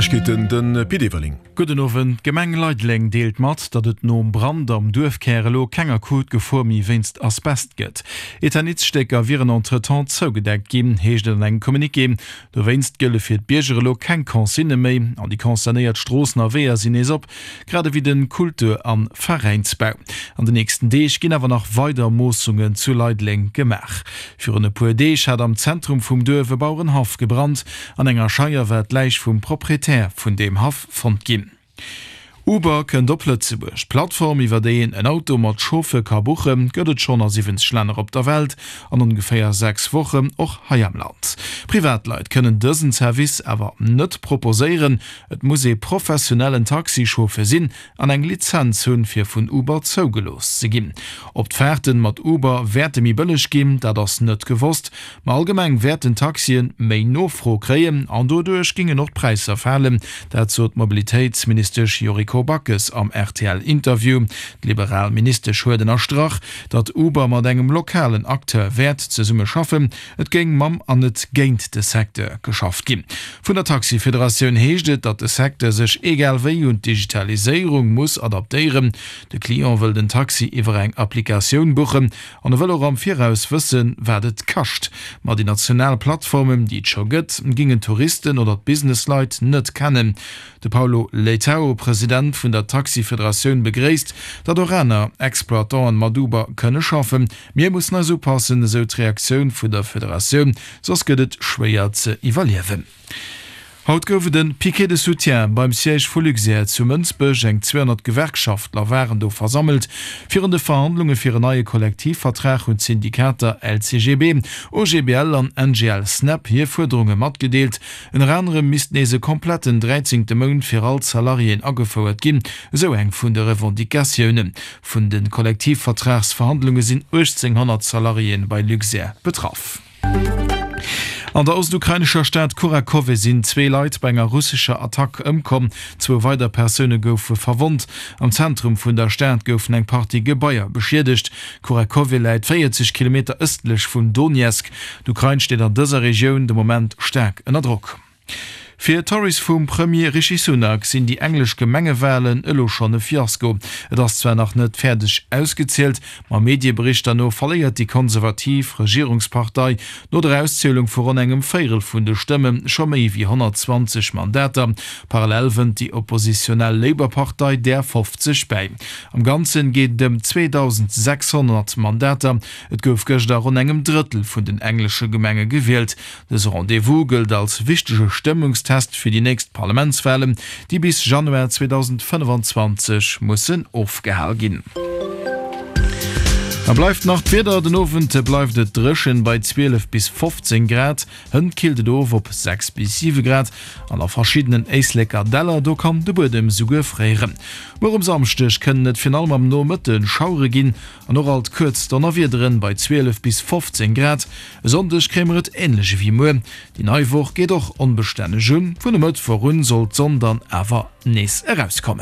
Neiegkeeten, de Pit Everling. Gudden Owend. D'Gemeng Leideleng deelt mat, datt et nom Brand am Duerfkär elo keng akut Gefor méi wéinst Asbest gëtt. Eternitsstécker wieren entretemps zougedeckt ginn, heescht et an engem Communiqué. Dowéinst gëlle fir d'Bierger elo keng Consignë méi an déi concernéiert Stroossen a Weeër sinn nees op, grad ewéi de Kultur a Veräinsbau. An de nächsten Deeg ginn awer nach weider Moossungen zu Leideleng gemaach. Virun e puer Deeg hat am Zentrum vum Duerf e Bauerenhaff gebrannt. An enger Scheier war d'Läich vum Proprietär vun deem Haff fonnt ginn. Uber kënnt op Lëtzebuerg. D'Plattform, iwwer déi een en Auto mat Chauffeur ka buchen, gëtt et schonn a 70 Länner op der Welt an ongeféier 6 Wochen och hei am Land. Privatleit kënnen dësen Service awer net proposéieren. Et muss ee professionellen Taxichauffeur sinn an eng Lizenz hunn, fir vun Uber zougelooss ze ginn. Ob d'Faarten mat Uber wäerte méi bëlleg ginn, dat ass net gewosst. Ma allgemeng wäerten d'Taxien méi Nofro kréien an doduerch gingen och d'Präisser falen. Dat sot d'Mobilitéitsministesch Yuriko Backes am RTL-Interview. D'liberal Ministesch huet ënnerstrach, datt Uber mat engem lokalen Acteur wäert zesumme schaffen. Et géing mam an net géint de Secteur geschafft ginn. Vun der Taxifederatioun heescht et, datt de Secteur sech egal wéi un d'Digitaliséierung muss adaptéieren. De Client wëll den Taxi iwwer eng Applikatioun buchen an e wëll och am Viraus wëssen, wat et kascht. Ma déi national Plattformen, déi et scho gëtt, gingen d'Touristen oder d'Businessleit net kennen. De Paulo Leitao, President vun der Taxifederatioun, begréisst, datt och aner Exploitanten mat Uber kënne schaffen. Mir mussen eis upassen, esou d'Reaktioun vun der Federatioun, soss gëtt et schwéier ze iwwerliewen. Haut gouf et e Piquet de soutien beim Siège vu Luxair zu Mënsbech. Eng 200 Gewerkschaftler waren do versammelt. Virun de Verhandlunge fir en neie Kollektivvertrag hunn d'Syndikater LCGB, OGBL an NGL-Snep hir Fuerderunge matgedeelt. Ënner anerem misst nees e kompletten dräizéngte Mount fir all d'Salariéen agefouert ginn, esou eng vun de Revendicatiounen. Vun de Kollektivvertragsverhandlunge sinn 1.800 Salariéen bei Luxair betraff. An der ostukrainescher Stad Kurachowe sinn zwee Leit bei enger russescher Attack ëmkomm. Zwou weider Persoune goufe verwonnt. Am Zentrum vun der Stad goufen eng Partie Gebaier beschiedegt. Kurachowe läit 40 Kilometer ëstlech vun Donezk. D'Ukrain steet an dëser Regioun de Moment staark ënner Drock. Fir d'Tories vum Premier Rishi Sunak sinn déi englesch Gemengewalen elo schonn e Fiasko. Et ass zwar nach net fäerdeg ausgezielt, ma Medieberichter no verléiert déi konservativ Regierungspartei no der Auszielung vu ronn engem Véierel vun de Stëmme scho méi wéi 120 Mandater. Parallel wënnt déi oppositionell Labour-Partei där 50 bäi. Am Ganzen geet et ëm 2.600 Mandater. Et gouf gëscht a ronn engem Drëttel vun den englesche Gemenge gewielt. Dëse Rendez-vous gëllt als wichtege Stëmmungstest fir déi nächst Parlamentswalen, déi bis Januar 2025 mussen ofgehal ginn. Da bleift nach d'Wieder, Den Owend bleift et dréchen bei 12 bis 15 Grad, hënt killt et of op 6 bis 7 Grad an a verschiddenen Éisleker Däller, do kann de Buedem souguer fréieren. Muer um Samschdeg kënnen et virun allem am Nomëtte Schauere ginn an och alt kuerz Donnerwiederen bei 12 bis 15 Grad. E Sonndeg kréie mer et änlech ewéi muer. Déi nei Woch geet och onbestänneg un, vun e Mëttwoch un soll d'Sonn dann awer nees erauskommen.